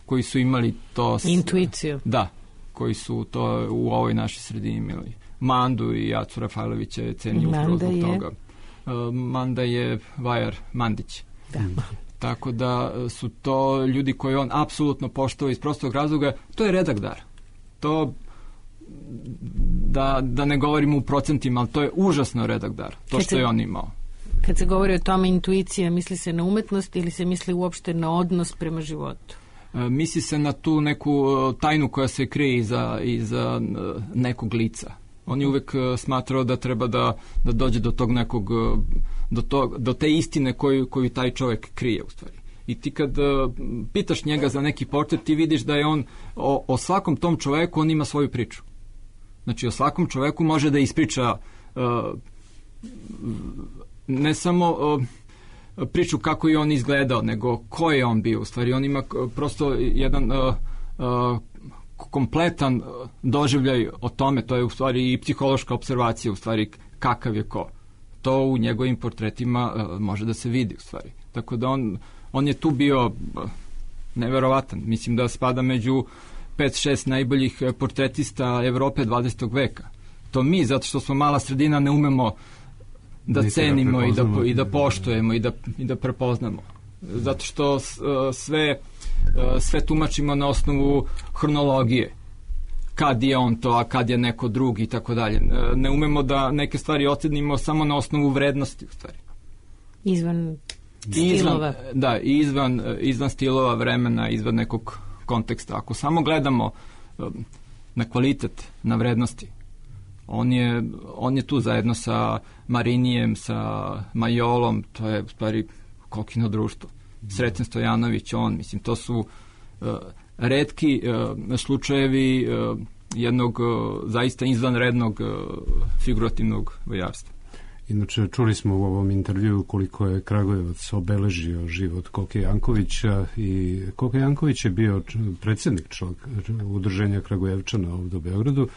koji su imali to... S, intuiciju. Da, koji su to u ovoj našoj sredini imali. Mandu i Jacu Rafajlovića je cenio upravo zbog toga. Uh, Manda je Vajar Mandić. Da. Tako da su to ljudi koji on apsolutno poštovao iz prostog razloga. To je redak dar. To da, da ne govorimo u procentima, ali to je užasno redak dar, to što je on imao. Kad se govori o tome intuicija, misli se na umetnost ili se misli uopšte na odnos prema životu? E, misli se na tu neku tajnu koja se krije iza, iza nekog lica. On je uvek smatrao da treba da, da dođe do tog nekog, do, to, do te istine koju, koju taj čovjek krije u stvari. I ti kad uh, pitaš njega za neki portret, ti vidiš da je on o, o svakom tom čoveku on ima svoju priču. Znači o svakom čoveku može da ispriča uh, ne samo uh, priču kako je on izgledao, nego ko je on bio. U stvari on ima prosto jedan uh, uh, kompletan doživljaj o tome, to je u stvari i psihološka observacija u stvari kakav je ko. To u njegovim portretima uh, može da se vidi u stvari. Tako da on On je tu bio neverovatan. Mislim da spada među pet šest najboljih portretista Evrope dvadesetog veka. To mi, zato što smo mala sredina, ne umemo da Niti cenimo da i, da, i da poštujemo i da, i da prepoznamo. Zato što sve, sve tumačimo na osnovu hronologije. Kad je on to, a kad je neko drugi i tako dalje. Ne umemo da neke stvari ocenimo samo na osnovu vrednosti u stvari. Izvan Izvan, da, izvan, izvan stilova, vremena, izvan nekog konteksta. Ako samo gledamo um, na kvalitet, na vrednosti, on je, on je tu zajedno sa Marinijem, sa Majolom, to je u stvari kokino društvo. Sreten Stojanović, on, mislim, to su uh, retki uh, slučajevi uh, jednog uh, zaista izvanrednog uh, figurativnog vojarstva. Inače, čuli smo u ovom intervju koliko je Kragujevac obeležio život Koke Jankovića i Koke Janković je bio predsjednik čovjek, udruženja Kragujevčana ovdje u Beogradu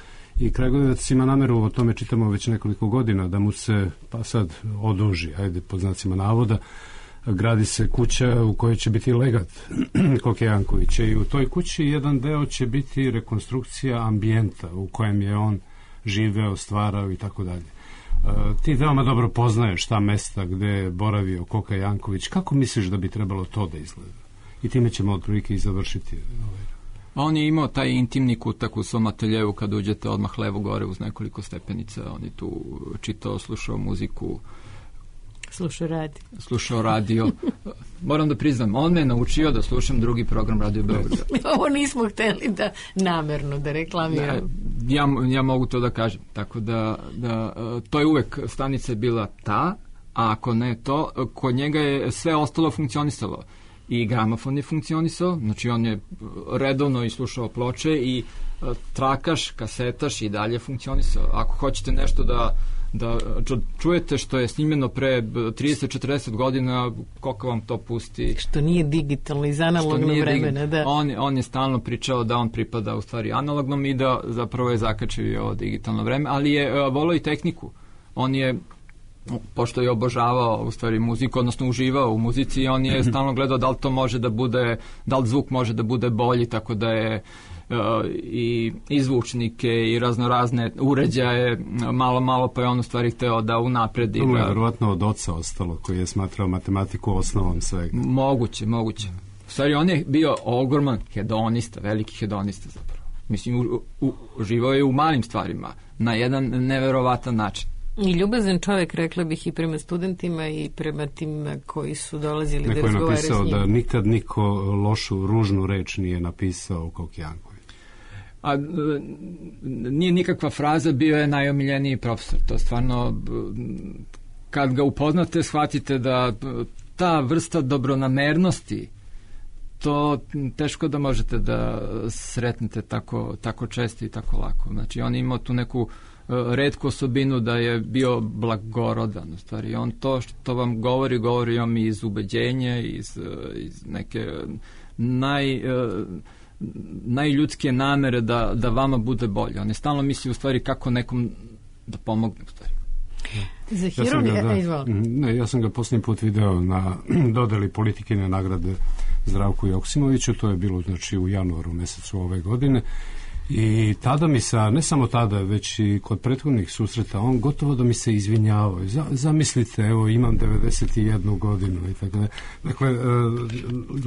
i Kragujevac ima nameru, o tome čitamo već nekoliko godina, da mu se pa sad oduži, ajde pod znacima navoda, gradi se kuća u kojoj će biti legat Koke Jankovića i u toj kući jedan deo će biti rekonstrukcija ambijenta u kojem je on živeo, stvarao i tako dalje. Ti veoma dobro poznaješ ta mesta gde je boravio Koka Janković. Kako misliš da bi trebalo to da izgleda? I time ćemo otprilike i završiti. On je imao taj intimni kutak u svom ateljevu kad uđete odmah levo gore uz nekoliko stepenica. On je tu čitao, slušao muziku. Slušao radio. Slušao radio. Moram da priznam, on me je naučio da slušam drugi program Radio Beograda. Ovo nismo hteli da namerno da reklamiramo. Da, ja, ja mogu to da kažem. Tako da, da to je uvek, stanica je bila ta, a ako ne to, kod njega je sve ostalo funkcionisalo. I gramofon je funkcionisao, znači on je redovno i slušao ploče i trakaš, kasetaš i dalje funkcionisao. Ako hoćete nešto da da čujete što je snimljeno pre trideset četrdeset godina, koliko vam to pusti. Što nije digitalno iz analognog vremena, da. On, on je stalno pričao da on pripada u stvari analognom i da zapravo je zakačio digitalno vreme, ali je uh, volao i tehniku. On je, pošto je obožavao u stvari muziku, odnosno uživao u muzici, on je stalno gledao da li to može da bude, da li zvuk može da bude bolji, tako da je Uh, i izvučnike i raznorazne uređaje malo malo pa je on u stvari hteo da unapredi. To je da... verovatno od oca ostalo koji je smatrao matematiku osnovom svega. Moguće, moguće. U stvari on je bio ogroman hedonista, veliki hedonista zapravo. Mislim, u, u, uživao je u malim stvarima na jedan neverovatan način. I ljubazan čovjek, rekla bih, i prema studentima i prema tim koji su dolazili Neko da razgovaraju s njim. Neko je napisao da nikad niko lošu, ružnu reč nije napisao Koki Janković. A nije nikakva fraza, bio je najomiljeniji profesor. To stvarno, kad ga upoznate, shvatite da ta vrsta dobronamernosti, to teško da možete da sretnete tako, tako često i tako lako. Znači, on je imao tu neku retku osobinu da je bio blagorodan. U stvari, on to što vam govori, govori vam iz ubeđenja, iz, iz neke naj... najljudskije namere da, da vama bude bolje. On je stalno misli u stvari kako nekom da pomogne u stvari. Za hirurg, ja ja da, ne, ja sam ga posljednji put video na dodeli politikine nagrade Zdravku Joksimoviću, to je bilo znači u januaru mesecu ove godine i tada mi se, ne samo tada, već i kod prethodnih susreta, on gotovo da mi se izvinjavao. Z, zamislite, evo, imam devedeset jednu godinu i tako da. Dakle, e,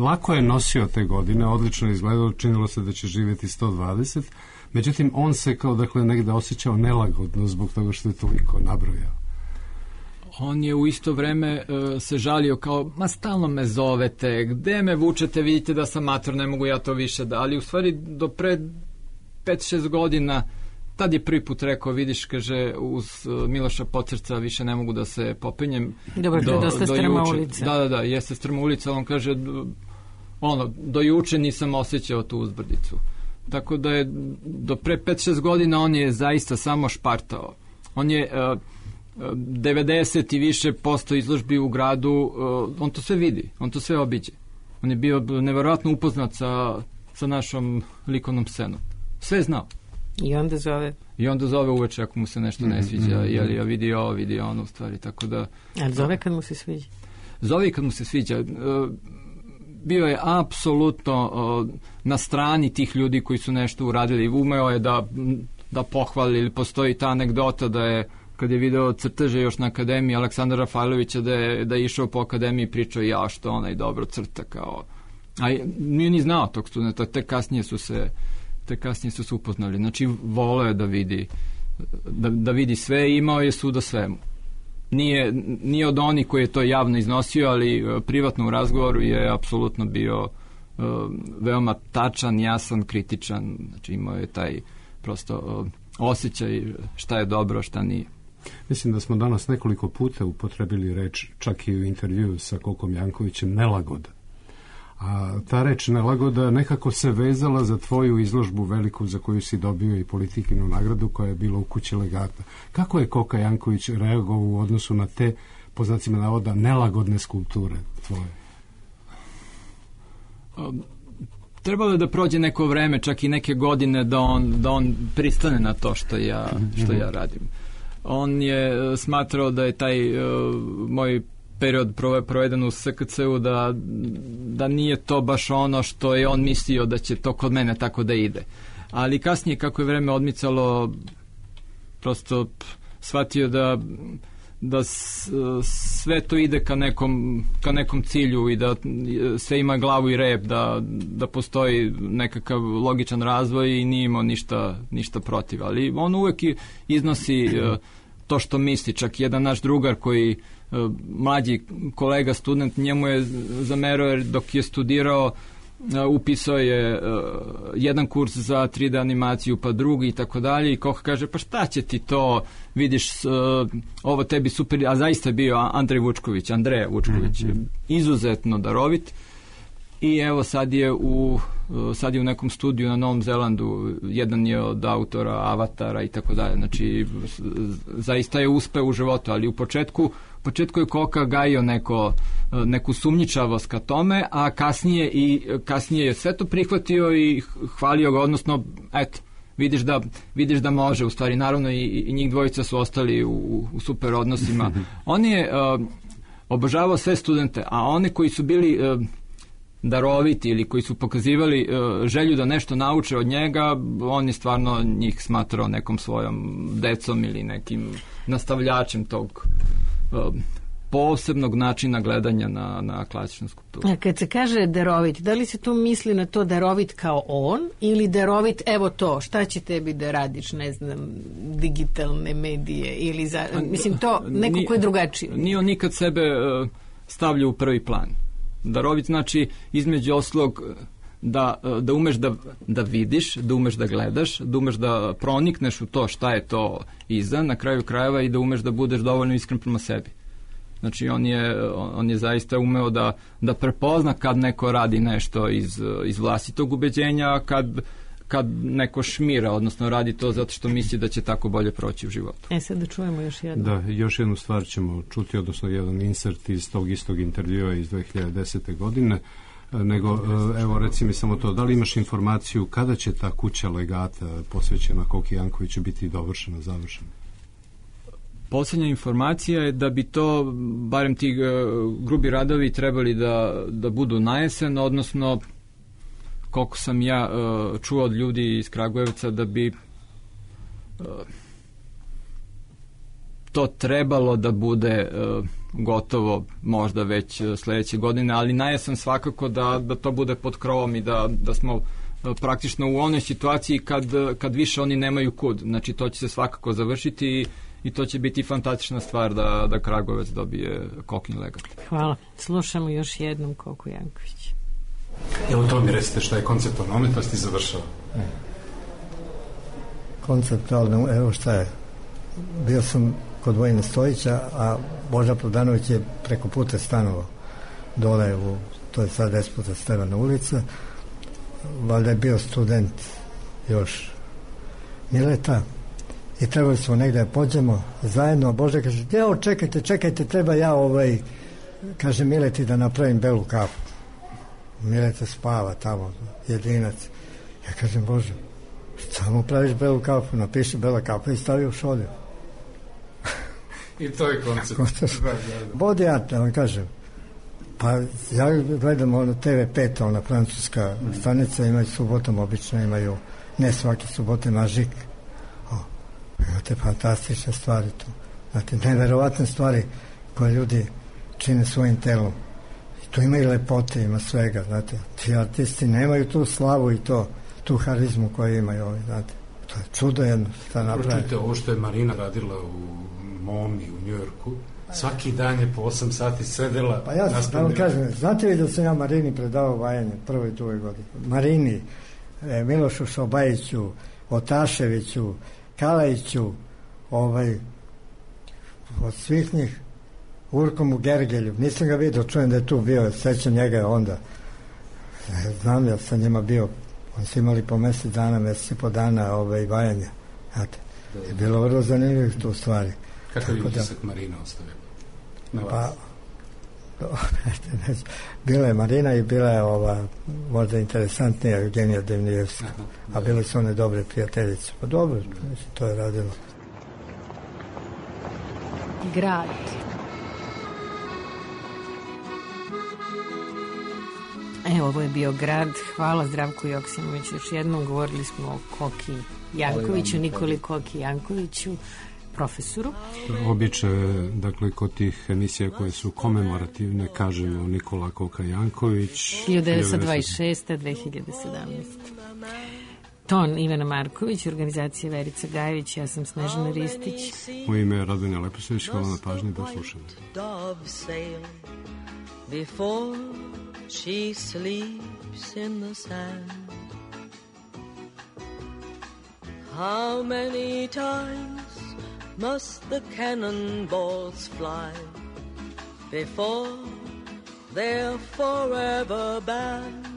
lako je nosio te godine, odlično izgledao, činilo se da će živjeti sto dvadeset, Međutim, on se kao dakle negde osjećao nelagodno zbog toga što je toliko nabrojao. On je u isto vreme uh, se žalio kao, ma stalno me zovete, gde me vučete, vidite da sam mator, ne mogu ja to više da, ali u stvari do pre pet šest godina, tad je prvi put rekao, vidiš, kaže, uz uh, Miloša Pocerca više ne mogu da se popinjem. Dobro, do, dosta do strma ulica. Da, da, da, jeste strma ulica, on kaže, ono, do juče nisam osjećao tu uzbrdicu. Tako da je do pre pet šest godina on je zaista samo špartao. On je uh, devedeset i više posto izložbi u gradu, uh, on to sve vidi, on to sve obiđe. On je bio neverovatno upoznat sa, sa našom likovnom scenom. Sve je znao. I onda zove. I onda zove uveče ako mu se nešto ne sviđa, mm-hmm. jeli ja vidi ovo, vidi ono u stvari, tako da... Ali zove kad mu se sviđa? Zove i kad mu se sviđa. Uh, bio je apsolutno uh, na strani tih ljudi koji su nešto uradili. Umeo je da, da pohvali, ili postoji ta anegdota da je, kad je video crteže još na akademiji Aleksandra Rafailovića, da je, da je išao po akademiji i pričao ja što onaj dobro crta kao... A nije ni znao tog studenta, te kasnije su se te kasnije su se upoznali. Znači, voleo je da vidi da, da vidi sve i imao je sud o svemu. Nije, nije od onih koji je to javno iznosio, ali uh, privatno u razgovoru je apsolutno bio uh, veoma tačan, jasan, kritičan. Znači, imao je taj prosto uh, osjećaj šta je dobro, šta nije. Mislim da smo danas nekoliko puta upotrebili reč, čak i u intervju sa Kokom Jankovićem, nelagoda. A ta reč nelagoda nekako se vezala za tvoju izložbu veliku za koju si dobio i Politikinu nagradu koja je bila u kući legata. Kako je Koka Janković reagovao u odnosu na te, po znacima navoda, nelagodne skulpture tvoje? Um, trebalo je da prođe neko vreme, čak i neke godine da on, da on pristane na to što ja, što ja radim. On je smatrao da je taj uh, moj period proveden u S K C-u da, da nije to baš ono što je on mislio da će to kod mene tako da ide. Ali kasnije kako je vreme odmicalo, prosto shvatio da, da sve to ide ka nekom, ka nekom cilju i da sve ima glavu i rep, da, da postoji nekakav logičan razvoj i nije imao ništa, ništa protiv. Ali on uvek iznosi to što misli. Čak jedan naš drugar koji mlađi kolega, student, njemu je zamerao jer dok je studirao upisao je jedan kurs za tri D animaciju pa drugi i tako dalje i Koka kaže pa šta će ti to, vidiš ovo tebi super, a zaista je bio Andrej Vučković, Andreja Vučković, mm-hmm. izuzetno darovit i evo sad je u sad je u nekom studiju na Novom Zelandu, jedan je od autora Avatara i tako dalje, znači zaista je uspeo u životu, ali u početku u početku je Koka gajio neko, neku sumnjičavost ka tome, a kasnije i kasnije je sve to prihvatio i hvalio ga, odnosno eto, vidiš da, vidiš da može, u stvari naravno i, i njih dvojica su ostali u, u super odnosima. On je uh, obožavao sve studente, a one koji su bili uh, daroviti ili koji su pokazivali uh, želju da nešto nauče od njega, on je stvarno njih smatrao nekom svojom decom ili nekim nastavljačem tog uh, posebnog načina gledanja na, na klasičnu skulpturu. A kad se kaže darovit, da li se tu misli na to darovit kao on ili darovit, evo to, šta će tebi da radiš, ne znam, digitalne medije ili za, mislim to neko ko je drugačiji. Nije on nikad sebe uh, stavlja u prvi plan. Darovit znači između oslog da, da umeš da, da vidiš, da umeš da gledaš, da umeš da pronikneš u to šta je to iza, na kraju krajeva i da umeš da budeš dovoljno iskren prema sebi. Znači on je, on je zaista umeo da, da prepozna kad neko radi nešto iz, iz vlastitog ubeđenja, a kad, kad neko šmira, odnosno radi to zato što misli da će tako bolje proći u životu. E sad da čujemo još jednu. Da, još jednu stvar ćemo čuti, odnosno jedan insert iz tog istog intervjua iz dve hiljade desete. godine, nego evo reci mi samo to, da li imaš informaciju kada će ta kuća legata posvećena Koki Jankoviću biti dovršena, završena? Posljednja informacija je da bi to, barem ti grubi radovi trebali da, da budu na jesen, odnosno koliko sam ja uh, čuo od ljudi iz Kragujevca da bi uh, to trebalo da bude uh, gotovo možda već uh, sledeće godine, ali na jesen svakako da, da to bude pod krovom i da, da smo praktično u onoj situaciji kad, kad više oni nemaju kud. Znači to će se svakako završiti i, i to će biti fantastična stvar da, da Kragujevac dobije Kokin legat. Hvala. Slušamo još jednom Koku Janković. Evo to mi recite šta je konceptualna umetnost i završava. Konceptualno, evo šta je. Bio sam kod Vojina Stojića, a Boža Prodanović je preko puta stanovao dole u, to je sad Despota Stevana ulica. Valjda je bio student još Mileta i trebali smo negde da pođemo zajedno, a Boža kaže, evo čekajte, čekajte, treba ja ovaj, kaže Mileti da napravim belu kafu. Mileta spava tamo, jedinac. Ja kažem, Bože, samo praviš belu kafu, napiši bela kafa i stavi u šolju. I to je koncept. Bodi ja, da vam kažem, pa ja gledam ono te ve pet, ona francuska stanica, imaju subotom, obično imaju, ne svake subote, Mažik. O, imate fantastične stvari tu. Znate, neverovatne stvari koje ljudi čine svojim telom. I tu ima i lepote, ima svega, znate. Ti artisti nemaju tu slavu i to, tu harizmu koju imaju ovi, znate. To je čudo jedno, šta napravi. Pročujte, ovo što je Marina radila u Momi u Njujorku, svaki dan je po osam sati sedela. Pa ja da vam kažem, znate li da sam ja Marini predavao vajanje prvoj i drugoj godini? Marini, e, Milošu Šobajiću, Otaševiću, Kalajiću, ovaj, od svih njih, Urkomu Gergelju, nisam ga vidio, čujem da je tu bio, sećam njega onda. E, znam ja sam njima bio, oni su imali po mesec dana, mesec i po dana ovaj, vajanja. Znate, je bilo vrlo zanimljivih tu stvari. Kakav je utisak Marina ostavila na vas? Pa, bila je Marina i bila je ova možda interesantnija Eugenija Devnijevska, a bile su one dobre prijateljice. Pa dobro, mislim, to je radilo. Grad. Evo, ovo je bio Grad. Hvala Zdravku Joksimoviću. Još jednom govorili smo o Koki Jankoviću, Nikoli Koki Jankoviću, profesoru. Običaj, dakle, kod tih emisija koje su komemorativne, kažemo Nikola Koka Janković. hiljadu devetsto dvadeset šeste. do dve hiljade sedamnaeste. Ton Ivana Marković, organizacija Verica Gajević, ja sam Snežana Ristić. U ime Radovanja Leposavić, hvala na pažnji, do slušanja. Before she sleeps in the sand, how many times must the cannonballs fly before they're forever banned?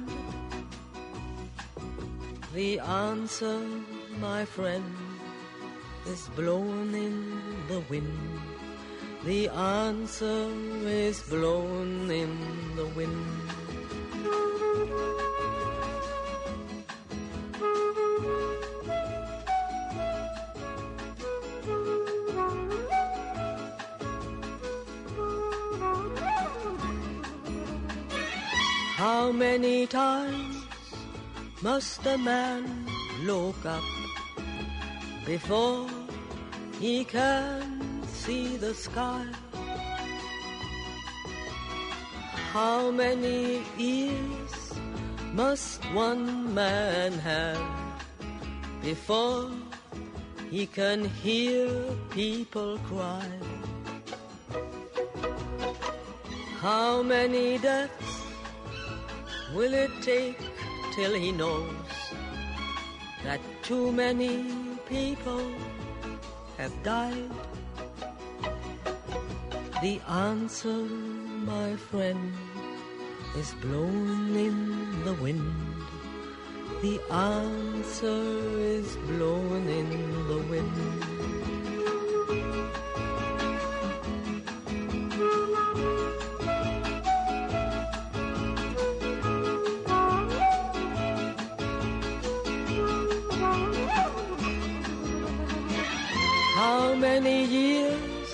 The answer, my friend, is blown in the wind. The answer is blown in the wind. How many times must a man look up before he can see the sky? How many ears must one man have before he can hear people cry? How many deaths will it take till he knows that too many people have died? The answer, my friend, is blown in the wind. The answer is blown in the wind. How many years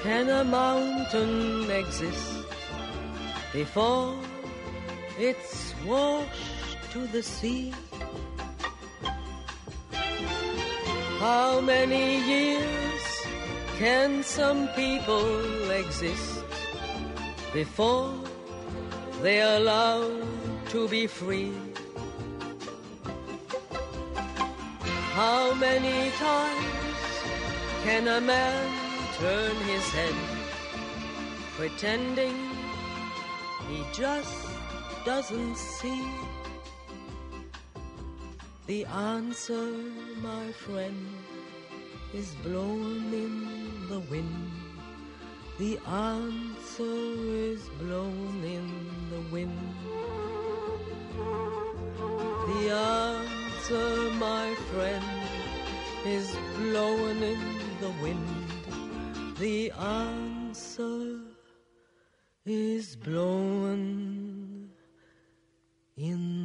can a mountain exist before it's washed to the sea? How many years can some people exist before they're allowed to be free? How many times can a man turn his head, pretending he just doesn't see? The answer, my friend, is blown in the wind. The answer is blown in the wind. The answer, my friend, is blown in the wind. The answer is blown in